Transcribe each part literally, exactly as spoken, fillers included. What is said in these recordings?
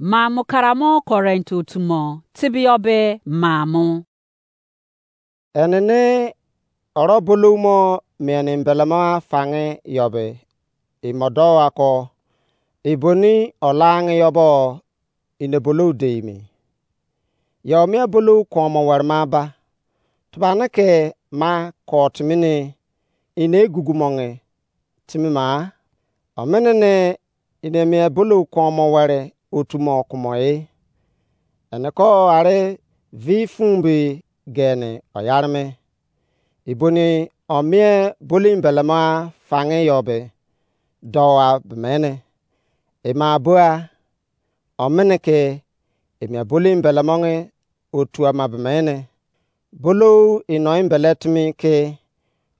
Maamo karamo Korint otu mo, tebiyọ be maamo. Enene oro bolou mo mien embelemo afange yọ be, imo dou ako, eboni olaange yọ bo ine bolou dei me. Yọ mien bolou kuomo were ma ba, tubane ke ma ko timi ne ine egugu monge timi ma, omene ne ine mien bolou kuomo were otu mo kumo e. Ene ko are vi fun be gene oyare me. Eboni omien bolou embelemo afange yọ be dou a bemene. Ema bua, omene ke emia bolou embelemo nge otu ama bemene. Bolou ino embele timi ke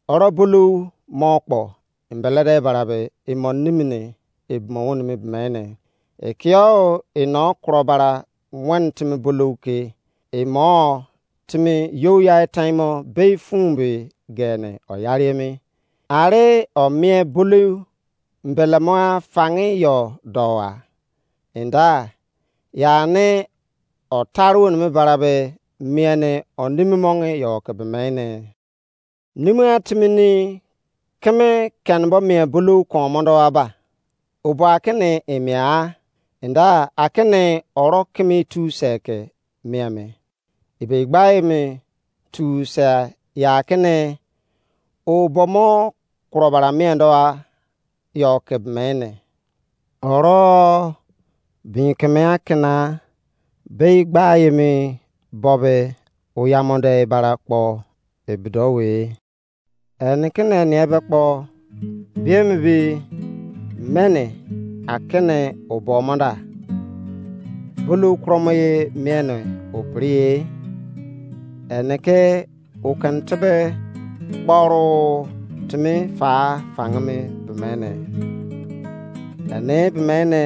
oro bolou mo kpo embele de barabe imo nimine ebimo woni me bemene. Ekio ino kuro bara wen timi bolou ke imo timi you ya taimo bei fun be gene oyare emi. Are omien bolou embelemo afange yọ dou a. Enda, ya ne otaru onimi barabe mien onimi monge yọ ke bemene. Nimi a timi ni keme kenebo mien bolou kuomo do aba. Obo akene emia a, enda akene oro keme tu se ke mien me. Ebe igba eme tu se ya akene obo mo kuro bara mien do a yọ ke bemene. Oro bin keme akena bei gba emi bobe oyamonde bara kpo ebido we. Eni kene eni ebe kpo biemi bi mene akene obo mo da. Bulu kromo ye miene opri ye. Eni ke o kene tebe kporu timi fa fangimi bemene. Ene bemene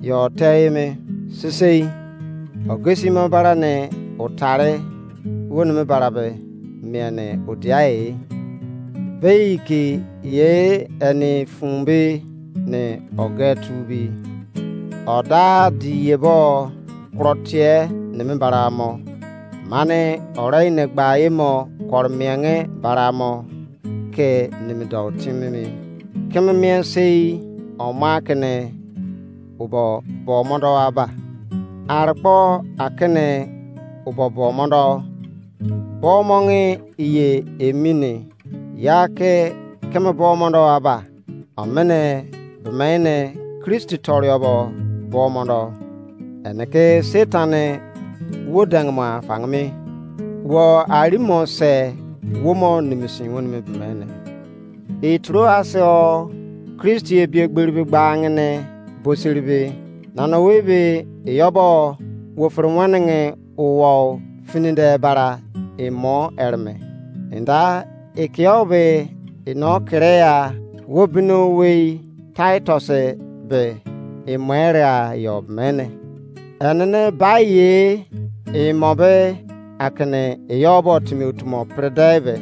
yo teyimi sisei. Ogesi mo bara ne otare wonimi bara be miene odiai. Bei ki ye eni fun bi ne oge tu bi. Oda di ye bo kuro tie nimi bara mo. Mane ore ine gba ye mo koro mienge bara mo ke nimi dou timi mi. Keme mien sei oma kene obo bo mo do aba. Ar kpo akene obo bo mo do. Bo mo nge iye emini ya ke keme bo mo do aba. Omene bemene Kristi toriobo bo mo do. Ene ke Satan wo dengmo afangimi. Wo arimo se wo mo nimisi wonimi bemene. Itroas o Kristi ebiegberibe gbangene boseribe nana webe eyobo wo fere wenenge uwo finide bara emo ereme. Enda ikio be ino kere ya wo bino wei Titus be emo ere a yo mene. Enene ba ye emo be akene eyobo timi otumo prede be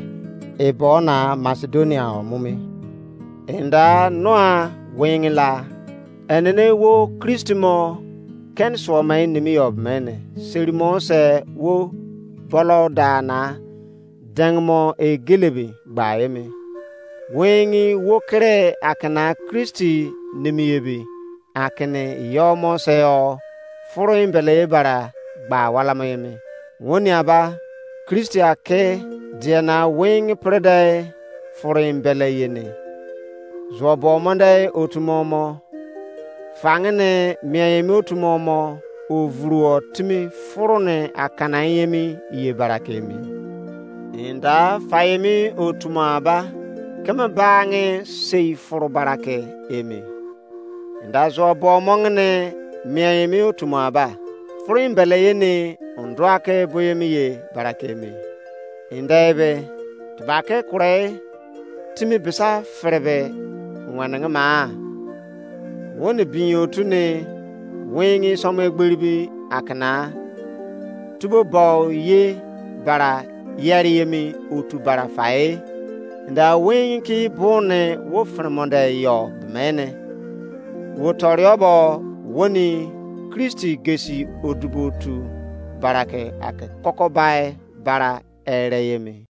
ebo na Macedonia o mumi. Enda noa wengi la enene wo Kristi mo ken suo mai nimi yo mene. Seri mo se wo bolo da na dengmo egelebi gba emi. Wengi wo kere akena Kristi nimi ebi akene yo mo se o furu embele bara gba wala mo emi. Woni aba Kristi ake diena wengi prede furu embele yene. Zuo bo mo de otu mo mo. Fangene mien emi otu mo mo ovuruo timi furu ne akana emi ye barake emi. Enda fa emi otu mo aba keme bange sei furu barake emi. Enda zuo bo mo ngene mien emi otu mo aba. Furu embele yene ondua ke bo emi ye barake emi. Enda ebe tebake kure timi bisa ferebe wenenge ma. Woni bin otu ne wengi somo egberi bi akana tubo bo ye bara yeri emi otu bara fae. Nda wengi ki bone wo fremonde yo bemene. Wo toriobo woni Kristi gesi odubo otu bara ke ake kokobai bara ere ye me.